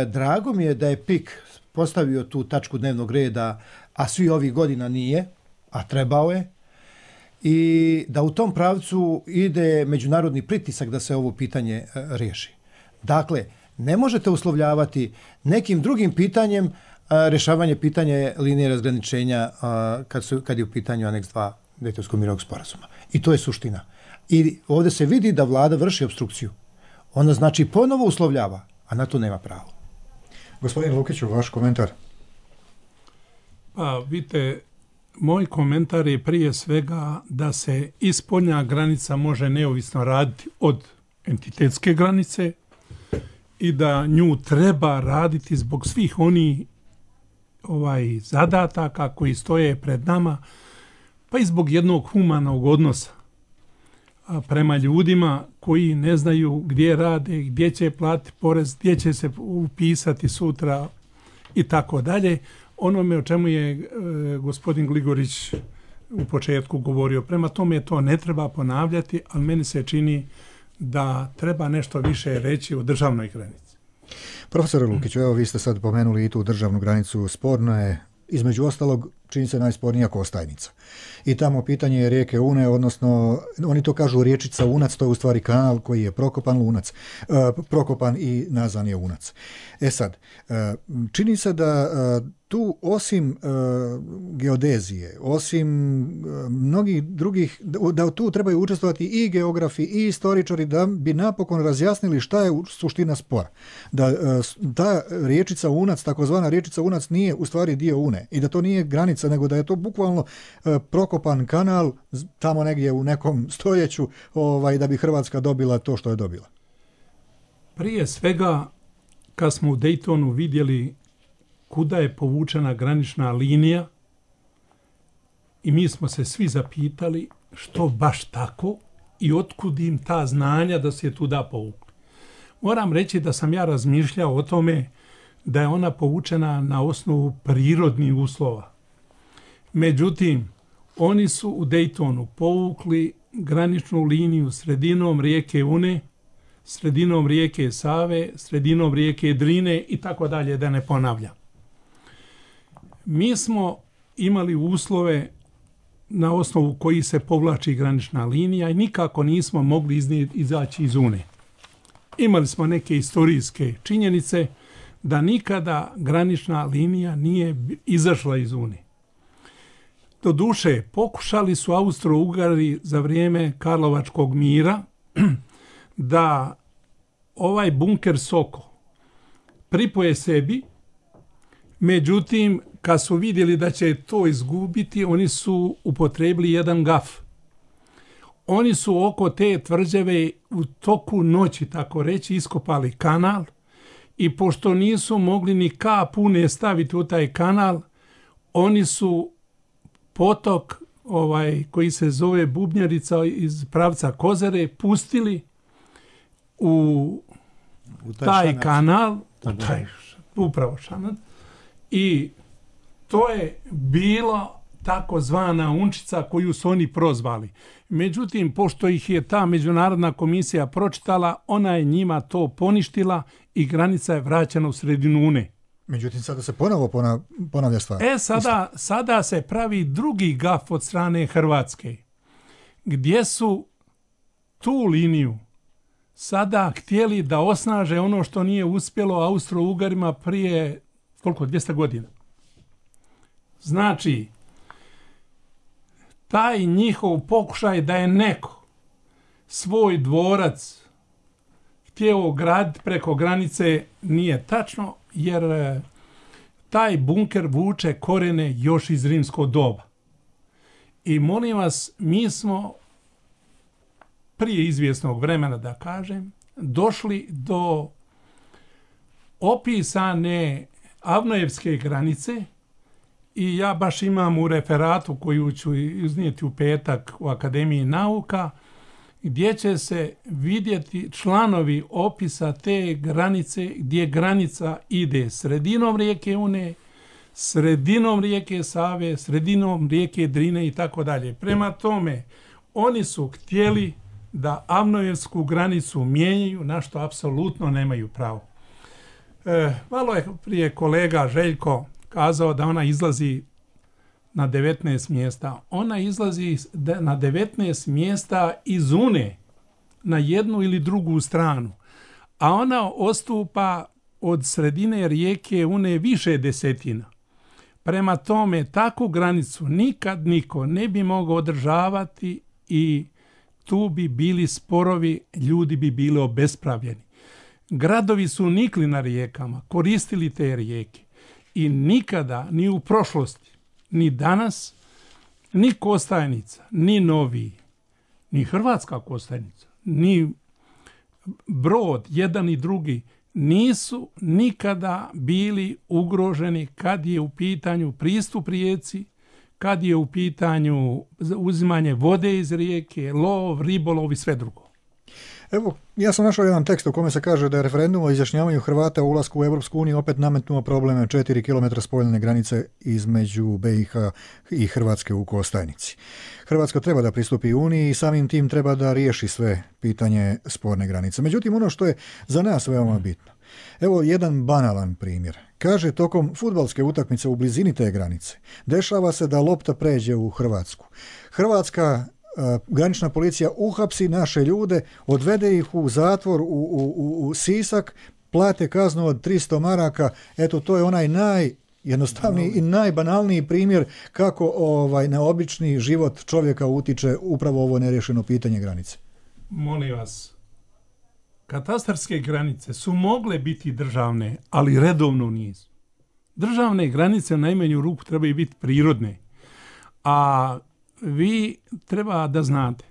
Drago mi je da je PIK postavio tu tačku dnevnog reda, a svi ovih godina nije, a trebao je, i da u tom pravcu ide međunarodni pritisak da se ovo pitanje riješi. Dakle, ne možete uslovljavati nekim drugim pitanjem rješavanje pitanja linije razgraničenja kad je u pitanju aneks 2 Dejtonskog mirovnog sporazuma. I to je suština. I ovdje se vidi da vlada vrši opstrukciju. Ona znači ponovo uslovljava, a na to nema pravo. Gospodin Lukiću, vaš komentar? Pa vidite, moj komentar je prije svega da se i spoljna granica može neovisno raditi od entitetske granice i da nju treba raditi zbog svih onih zadataka koji stoje pred nama, pa i zbog jednog humanog odnosa prema ljudima koji ne znaju gdje rade, gdje će platiti porez, gdje će se upisati sutra i tako dalje. Onome o čemu je gospodin Gligorić u početku govorio. Prema tome to ne treba ponavljati, ali meni se čini da treba nešto više reći o državnoj granici. Profesore Lukiću, evo vi ste sad pomenuli i tu državnu granicu. Sporno je, između ostalog, čini se najspornija Kostajnica. I tamo pitanje je rijeke Une, odnosno oni to kažu riječica Unac, to je u stvari kanal koji je prokopan i nazvan je Unac. E sad, čini se da tu osim geodezije, osim mnogih drugih, da tu trebaju učestvovati i geografi i istoričari da bi napokon razjasnili šta je suština spora. Da ta riječica Unac, takozvana riječica Unac nije u stvari dio Une i da to nije granica, nego da je to bukvalno prokopan kanal tamo negdje u nekom stoljeću da bi Hrvatska dobila to što je dobila. Prije svega, kad smo u Daytonu vidjeli kuda je povučena granična linija i mi smo se svi zapitali što baš tako i otkud im ta znanja da se je tuda povukli. Moram reći da sam ja razmišljao o tome da je ona povučena na osnovu prirodnih uslova. Međutim, oni su u Daytonu povukli graničnu liniju sredinom rijeke Une, sredinom rijeke Save, sredinom rijeke Drine i tako dalje, da ne ponavljam. Mi smo imali uslove na osnovu koji se povlači granična linija i nikako nismo mogli izaći iz Une. Imali smo neke historijske činjenice da nikada granična linija nije izašla iz Une. Doduše, pokušali su Austro-Ugari za vrijeme Karlovačkog mira da ovaj bunker Soko pripoje sebi, međutim, kad su vidjeli da će to izgubiti, oni su upotrebili jedan gaf. Oni su oko te tvrđave u toku noći, tako reći, iskopali kanal i pošto nisu mogli ni kap une staviti u taj kanal, oni su potok koji se zove Bubnjarica iz pravca Kozare pustili u taj kanal, upravo Šanat, i to je bila takozvana Unčica koju su oni prozvali. Međutim, pošto ih je ta međunarodna komisija pročitala, ona je njima to poništila i granica je vraćena u sredinu Une. Međutim, sada se ponovo ponavlja stvar. Sada se pravi drugi gaf od strane Hrvatske, gdje su tu liniju sada htjeli da osnaže ono što nije uspjelo Austro-Ugarima prije, 200 godina. Znači, taj njihov pokušaj da je neko svoj dvorac htio graditi preko granice nije tačno, jer taj bunker vuče korene još iz rimskog doba. I molim vas, mi smo prije izvjesnog vremena, da kažem, došli do opisane Avnojevske granice i ja baš imam u referatu koju ću iznijeti u petak u Akademiji nauka, gdje će se vidjeti članovi opisa te granice, gdje granica ide sredinom rijeke Une, sredinom rijeke Save, sredinom rijeke Drine i tako dalje. Prema tome, oni su htjeli da Avnojevsku granicu mijenjaju, na što apsolutno nemaju pravo. Malo je prije kolega Željko kazao da ona izlazi na 19 mjesta. Ona izlazi na 19 mjesta iz Une, na jednu ili drugu stranu. A ona odstupa od sredine rijeke Une više desetina. Prema tome, takvu granicu nikad niko ne bi mogao održavati i tu bi bili sporovi, ljudi bi bili obespravljeni. Gradovi su nikli na rijekama, koristili te rijeke i nikada, ni u prošlosti, ni danas, ni Kostajnica, ni Novi, ni Hrvatska Kostajnica, ni Brod, jedan i drugi, nisu nikada bili ugroženi kad je u pitanju pristup rijeci, kad je u pitanju uzimanje vode iz rijeke, lov, ribolov i sve drugo. Evo, ja sam našao jedan tekst u kome se kaže da je referendum o izjašnjavanju Hrvata o ulasku u Europsku uniju opet nametnuo probleme 4 km spoljne granice između BiH i Hrvatske u Kostajnici. Hrvatska treba da pristupi Uniji i samim tim treba da riješi sve pitanje sporne granice. Međutim, ono što je za nas veoma bitno, evo jedan banalan primjer. Kaže, tokom fudbalske utakmice u blizini te granice dešava se da lopta pređe u Hrvatsku. Hrvatska granična policija uhapsi naše ljude, odvede ih u zatvor u Sisak, plate kaznu od 300 maraka. Eto, to je onaj najjednostavniji i najbanalniji primjer kako na obični život čovjeka utiče upravo ovo neriješeno pitanje granice. Molim vas, katastarske granice su mogle biti državne, ali redovno nisu. Državne granice u najmanju ruku trebaju biti prirodne, a vi treba da znate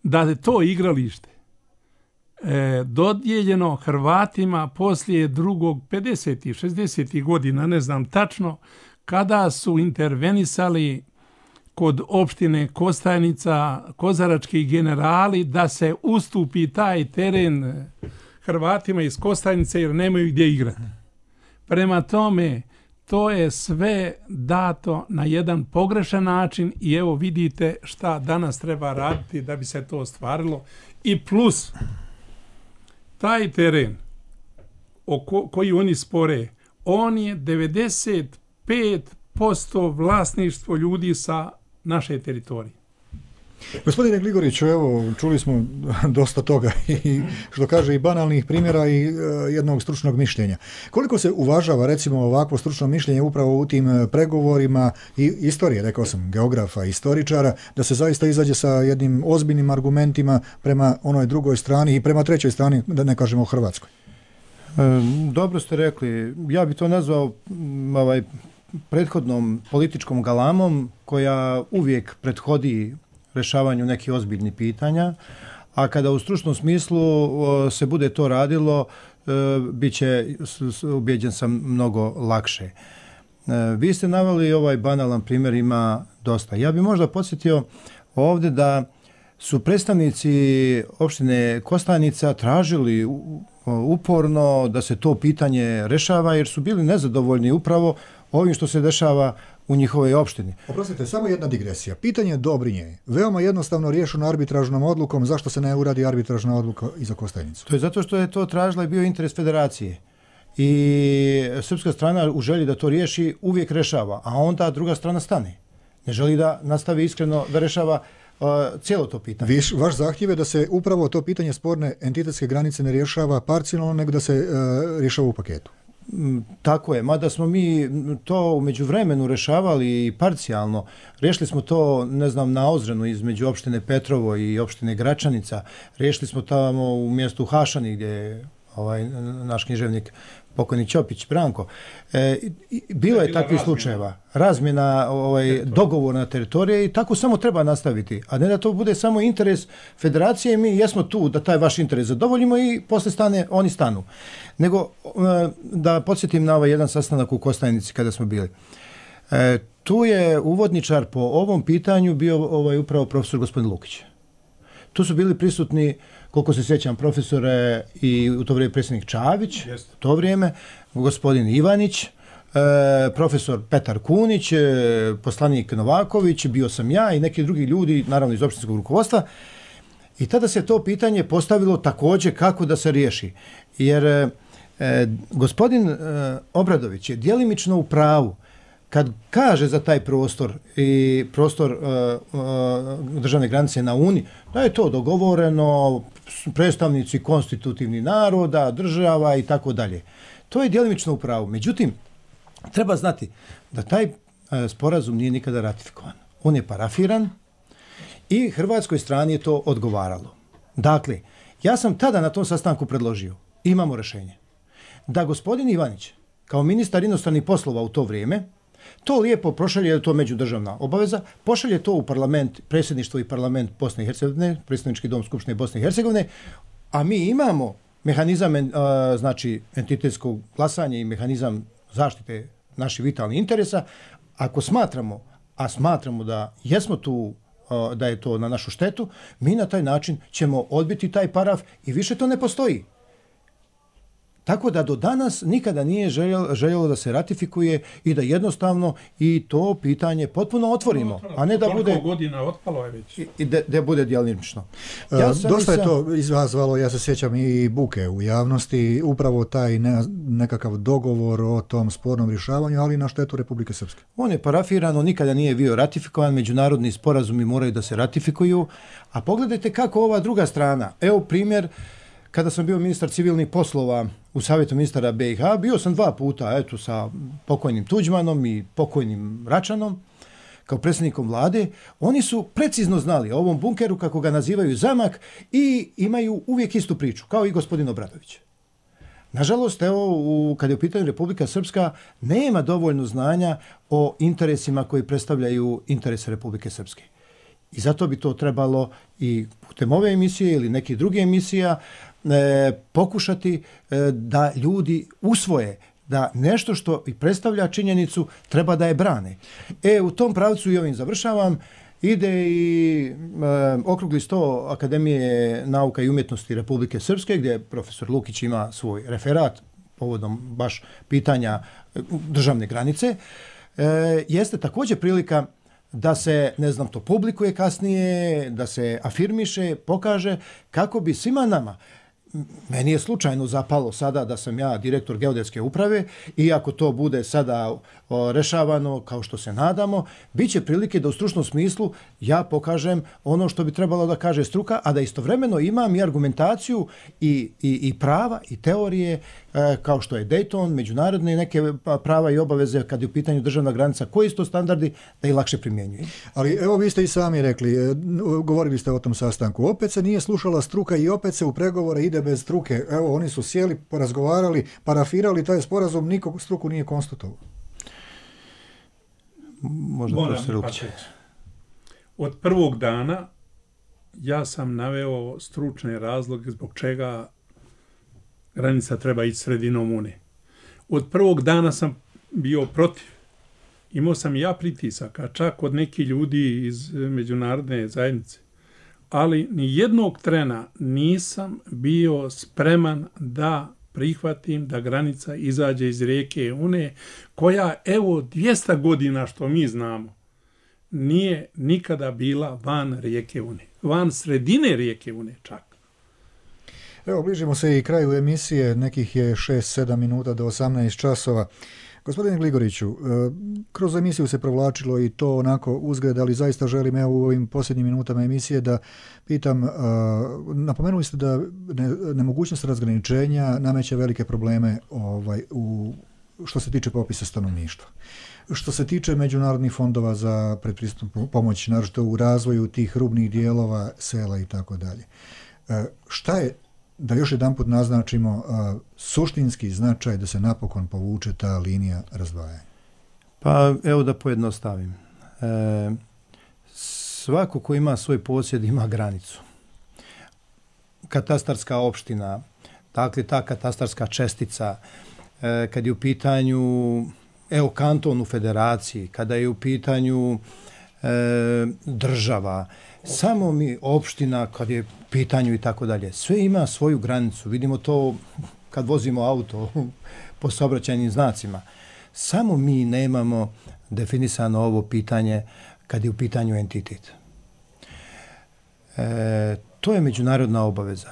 da je to igralište dodijeljeno Hrvatima poslije drugog 50. 60. godina, ne znam tačno, kada su intervenisali kod opštine Kostajnica kozarački generali da se ustupi taj teren Hrvatima iz Kostajnice jer nemaju gdje igrati. Prema tome, to je sve dato na jedan pogrešan način i evo vidite šta danas treba raditi da bi se to ostvarilo. I plus, taj teren koji oni spore, on je 95% vlasništvo ljudi sa naše teritorije. Gospodine Gligoriću, evo, čuli smo dosta toga i što kaže i banalnih primjera i jednog stručnog mišljenja. Koliko se uvažava, recimo, ovakvo stručno mišljenje upravo u tim pregovorima i istorije, rekao sam, geografa i istoričara, da se zaista izađe sa jednim ozbiljnim argumentima prema onoj drugoj strani i prema trećoj strani, da ne kažemo Hrvatskoj? Dobro ste rekli. Ja bi to nazvao prethodnom političkom galamom koja uvijek prethodi rješavanju nekih ozbiljnih pitanja, a kada u stručnom smislu se bude to radilo, bit će, ubijeđen sam, mnogo lakše. Vi ste naveli ovaj banalan primjer, ima dosta. Ja bih možda podsjetio ovdje da su predstavnici opštine Kostajnica tražili uporno da se to pitanje rješava jer su bili nezadovoljni upravo ovim što se dešava u njihovoj opštini. Oprostite, samo jedna digresija. Pitanje Dobrinje, veoma jednostavno riješeno arbitražnom odlukom, zašto se ne uradi arbitražna odluka i za Kostajnicu? To je zato što je to tražila i bio interes federacije. I srpska strana u želji da to riješi uvijek rešava, a onda druga strana stane. Ne želi da nastavi iskreno da rešava cijelo to pitanje. Vaš zahtjev je da se upravo to pitanje sporne entitetske granice ne rješava parcijalno, nego da se rješava u paketu. Tako je, mada smo mi to u međuvremenu rješavali i parcijalno. Riješili smo to, ne znam, na Ozrenu između opštine Petrovo i opštine Gračanica. Riješili smo tamo u mjestu Hašani gdje je naš književnik pokojni Ćopić Branko. Bilo je takvih slučajeva. Razmjena dogovorna teritorija i tako samo treba nastaviti. A ne da to bude samo interes federacije, mi jesmo tu da taj vaš interes zadovoljimo i posle oni stanu. Nego da podsjetim na jedan sastanak u Kostajnici kada smo bili. Tu je uvodničar po ovom pitanju bio upravo profesor gospodin Lukić. Tu su bili prisutni, koliko se sjećam, profesore i u to vrijeme predsjednik Čavić, to vrijeme, gospodin Ivanić, profesor Petar Kunić, poslanik Novaković, bio sam ja i neki drugi ljudi, naravno iz opštinskog rukovodstva. I tada se to pitanje postavilo također kako da se riješi. Jer gospodin Obradović je djelimično u pravu kad kaže za taj prostor i prostor državne granice na Uni, da je to dogovoreno, predstavnici konstitutivnih naroda, država i tako dalje. To je djelimično u pravu. Međutim, treba znati da taj sporazum nije nikada ratifikovan. On je parafiran i hrvatskoj strani je to odgovaralo. Dakle, ja sam tada na tom sastanku predložio, imamo rješenje, da gospodin Ivanić, kao ministar inostranih poslova u to vrijeme, To lijepo prošalje, je to međudržavna obaveza, pošalje to u parlament, predsjedništvo i parlament Bosne i Hercegovine, predsjednički dom Skupštine Bosne i Hercegovine, a mi imamo mehanizam znači entitetskog glasanja i mehanizam zaštite naših vitalnih interesa. Ako smatramo, a smatramo da jesmo tu, da je to na našu štetu, mi na taj način ćemo odbiti taj paraf i više to ne postoji. Tako da do danas nikada nije željelo da se ratifikuje i da jednostavno i to pitanje potpuno otvorimo, a ne da bude godina otpalo je već. I da bude djelomično. Dosta je to izazvalo, ja se sjećam, i buke u javnosti, upravo taj nekakav dogovor o tom spornom rješavanju, ali na štetu Republike Srpske. On je parafirano, nikada nije bio ratifikovan, međunarodni sporazumi moraju da se ratifikuju, a pogledajte kako ova druga strana. Evo primjer, kada sam bio ministar civilnih poslova u Savjetu ministara BiH, bio sam 2 puta sa pokojnim Tuđmanom i pokojnim Račanom, kao predsjednikom vlade. Oni su precizno znali o ovom bunkeru, kako ga nazivaju zamak, i imaju uvijek istu priču, kao i gospodin Obradović. Nažalost, kad je u pitanju Republika Srpska, nema dovoljno znanja o interesima koji predstavljaju interese Republike Srpske. I zato bi to trebalo i putem ove emisije ili nekih druge emisija pokušati da ljudi usvoje da nešto što i predstavlja činjenicu treba da je brane. U tom pravcu, i ovim završavam, ide i okrugli sto Akademije nauka i umjetnosti Republike Srpske, gdje profesor Lukić ima svoj referat povodom baš pitanja državne granice. Jeste također prilika da se, to publikuje kasnije, da se afirmiše, pokaže, kako bi svima nama, meni je slučajno zapalo sada da sam ja direktor geodetske uprave, i ako to bude sada rešavano kao što se nadamo, bit će prilike da u stručnom smislu ja pokažem ono što bi trebalo da kaže struka, a da istovremeno imam i argumentaciju i prava i teorije, kao što je Dayton, međunarodne neke prava i obaveze kad je u pitanju državna granica, koji su to standardi, da ih lakše primjenjuje. Ali evo, vi ste i sami rekli, govorili ste o tom sastanku, opet se nije slušala struka i opet se u pregovore ide bez struke. Evo, oni su sjeli, porazgovarali, parafirali taj sporazum, nikog struku nije konstatovao. Možda profesor Lukić. Od prvog dana ja sam naveo stručne razloge zbog čega granica treba ići sredinom Une. Od prvog dana sam bio protiv. Imao sam i ja pritisaka, čak od nekih ljudi iz međunarodne zajednice. Ali ni jednog trena nisam bio spreman da prihvatim da granica izađe iz rijeke Une, koja, evo, 200 godina što mi znamo, nije nikada bila van rijeke Une. Van sredine rijeke Une čak. Evo, bližimo se i kraju emisije, nekih je 6-7 minuta do 18 časova. Gospodine Gligoriću, kroz emisiju se provlačilo i to onako uzgled, ali zaista želim u ovim posljednjim minutama emisije da pitam, napomenuli ste da nemogućnost razgraničenja nameće velike probleme što se tiče popisa stanovništva. Što se tiče međunarodnih fondova za predpristupnu pomoć, naročito u razvoju tih rubnih dijelova, sela i tako dalje. Šta je, da još jedanput naznačimo, suštinski značaj da se napokon povuče ta linija razdvajanja? Pa evo da pojednostavim. Svako ko ima svoj posjed ima granicu. Katastarska opština, dakle ta katastarska čestica, kad je u pitanju kanton u federaciji, kada je u pitanju država, samo mi opština kad je u pitanju i tako dalje, sve ima svoju granicu. Vidimo to kad vozimo auto po saobraćajnim znacima. Samo mi nemamo definisano ovo pitanje kad je u pitanju entitet. To je međunarodna obaveza.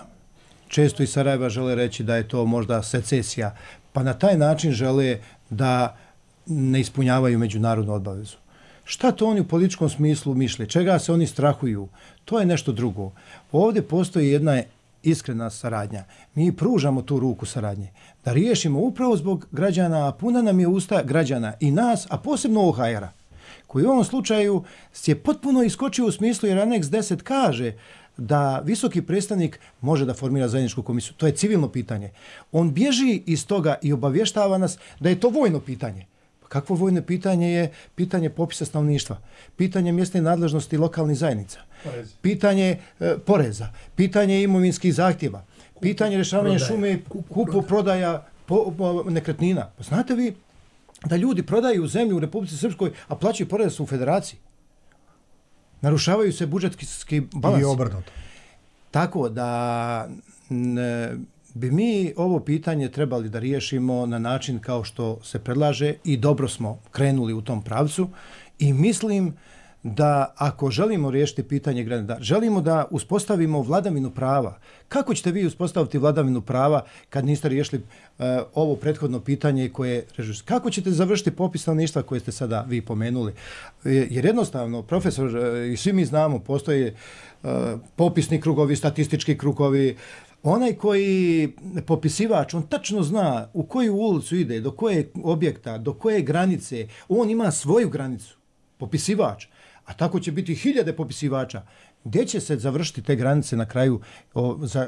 Često iz Sarajeva žele reći da je to možda secesija, pa na taj način žele da ne ispunjavaju međunarodnu obavezu. Šta to oni u političkom smislu misle? Čega se oni strahuju? To je nešto drugo. Ovdje postoji jedna iskrena saradnja. Mi pružamo tu ruku saradnje. Da riješimo upravo zbog građana, a puna nam je usta građana i nas, a posebno OHR-a, koji u ovom slučaju je potpuno iskočio u smislu, jer aneks 10 kaže da visoki predstavnik može da formira zajedničku komisiju. To je civilno pitanje. On bježi iz toga i obavještava nas da je to vojno pitanje. Kakvo vojno pitanje je pitanje popisa stanovništva, pitanje mjesne nadležnosti lokalnih zajednica, pitanje poreza, pitanje imovinskih zahtjeva, pitanje rješavanja šume, kupo-prodaja nekretnina. Pa znate vi da ljudi prodaju zemlju u Republici Srpskoj, a plaćaju porez u Federaciji? Narušavaju se budžetski balans. I obrnuto. Tako da bi mi ovo pitanje trebali da riješimo na način kao što se predlaže i dobro smo krenuli u tom pravcu i mislim da ako želimo riješiti pitanje granica, želimo da uspostavimo vladavinu prava. Kako ćete vi uspostaviti vladavinu prava kad niste riješili ovo prethodno pitanje koje kako ćete završiti popis stanovništva koje ste sada vi pomenuli? Jer jednostavno, profesor, i svi mi znamo, postoje popisni krugovi, statistički krugovi. Onaj koji popisivač, on tačno zna u koju ulicu ide, do kojeg objekta, do koje granice. On ima svoju granicu, popisivač. A tako će biti hiljade popisivača. Gdje će se završiti te granice na kraju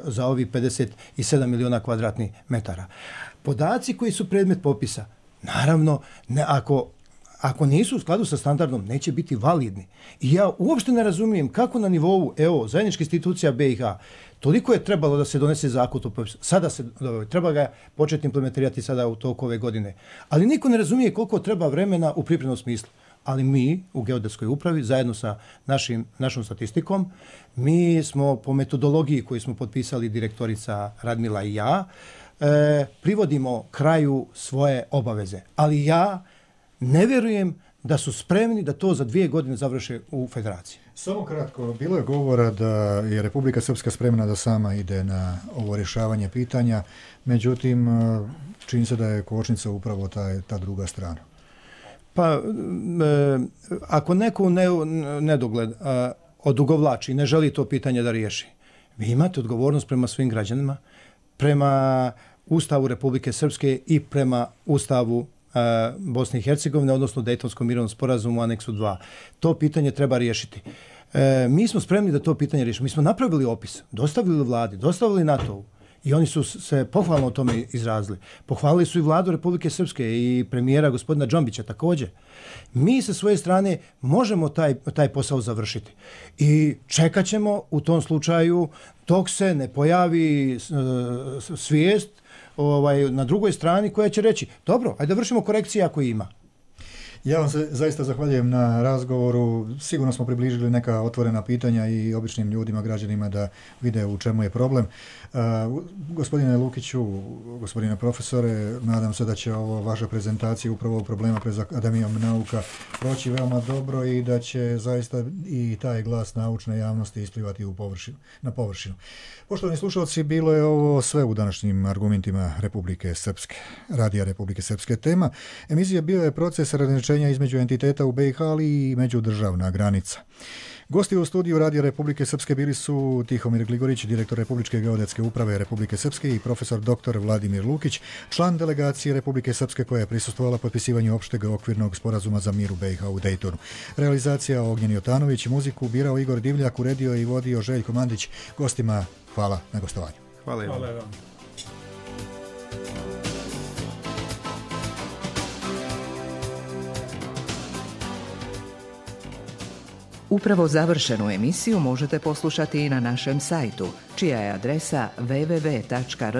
za ovih 57 miliona kvadratnih metara? Podaci koji su predmet popisa, naravno, ako nisu u skladu sa standardom, neće biti validni. I ja uopšte ne razumijem kako na nivou zajedničkih institucija BiH toliko je trebalo da se donese zakon o popisu. Sada treba ga početi implementirati sada u toku ove godine. Ali niko ne razumije koliko treba vremena u pripremnom smislu. Ali mi u Geodetskoj upravi, zajedno sa našom statistikom, mi smo po metodologiji koju smo potpisali direktorica Radmila i ja, privodimo kraju svoje obaveze. Ali ja ne vjerujem da su spremni da to za 2 godine završe u Federaciji. Samo kratko, bilo je govora da je Republika Srpska spremna da sama ide na ovo rješavanje pitanja, međutim, čini se da je kočnica upravo ta druga strana. Pa, ako neko nedogled odugovlači i ne želi to pitanje da riješi, vi imate odgovornost prema svim građanima, prema Ustavu Republike Srpske i prema Ustavu Bosne i Hercegovine, odnosno Dejtonskom mirovnom sporazumu u aneksu 2. To pitanje treba riješiti. Mi smo spremni da to pitanje riješimo. Mi smo napravili opis, dostavili vladi, dostavili NATO-u i oni su se pohvalno o tome izrazili. Pohvalili su i vladu Republike Srpske i premijera gospodina Džombića također. Mi sa svoje strane možemo taj posao završiti. I čekat ćemo u tom slučaju dok se ne pojavi svijest na drugoj strani koja će reći dobro, ajde da vršimo korekcije ako ima. Ja vam se zaista zahvaljujem na razgovoru. Sigurno smo približili neka otvorena pitanja i običnim ljudima, građanima da vide u čemu je problem. Gospodine Lukiću, gospodine profesore, nadam se da će ovo vaša prezentacija upravo ovog problema pred Akademijom nauka proći veoma dobro i da će zaista i taj glas naučne javnosti isplivati na površinu. Poštovani slušalci, bilo je ovo sve u današnjim argumentima Republike Srpske. Radija Republike Srpske tema. Emisija bio je proces razgraničenja između entiteta u BiH, ali i međudržavna granica. Gosti u studiju Radija Republike Srpske bili su Tihomir Gligorić, direktor Republičke geodetske uprave Republike Srpske i profesor dr. Vladimir Lukić, član delegacije Republike Srpske koja je prisustvovala potpisivanju opšteg okvirnog sporazuma za mir u BiH u Dejtonu. Realizacija Ognjen Jotanović, muziku birao Igor Divljak, uredio i vodio Željko Mandić. Gostima hvala na gostovanju. Hvala vam. Upravo završenu emisiju možete poslušati i na našem sajtu, čija je adresa www.rtrs.tv.